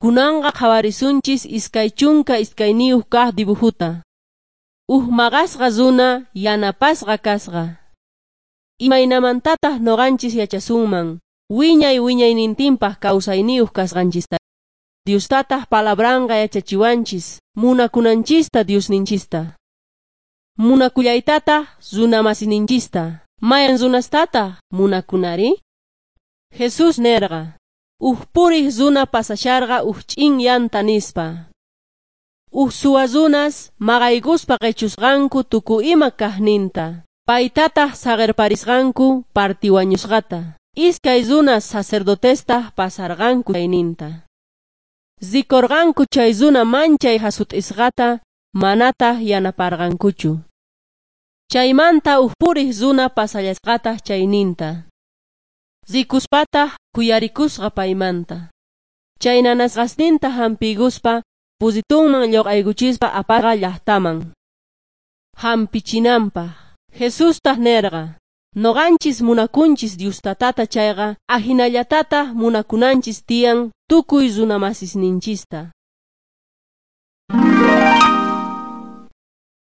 Kunanqa qhawarisunchis 22 kaq dibujuta. Uj maqasqa runa yanapasqa kasqa. Imaynamantataq nuqanchis yachasunman wiñay wiñaynintinpaq kawsayniyuq kasqanchista. Diostataq palabranqa yachachiwanchis munakunanchista Diosninchista. Munakullaytataq runamasininchista. Mayan runastataq munakunari? Jesús nerqa: Uj puriq runa pasasharqa uj ch'in yanta nispa. Uj suwa runas maqaykuspa qichusqanku tukuy ima kaqninta. Paytataq saqirparisqanku partiwañusqata. Iskay runas sacerdotestaq pasarqanku chayninta. Rikurqanku chay runa manchay hasut'isqata manataq yanaparqankuchu. Chaymanta uj puriq runa pasallasqataq chayninta. Rikuspataq khuyarikusqa paymanta. Chay nanasqasninta hampiykuspa pusitunman lluq'aykuchispa apasqa llaqtaman. Hampichinanpaq. Jesustaq nerqa: Nuqanchis munakunchis Dios tatata chayqa ajinallatataq munakunanchis tiyan tukuy runamasisninchista.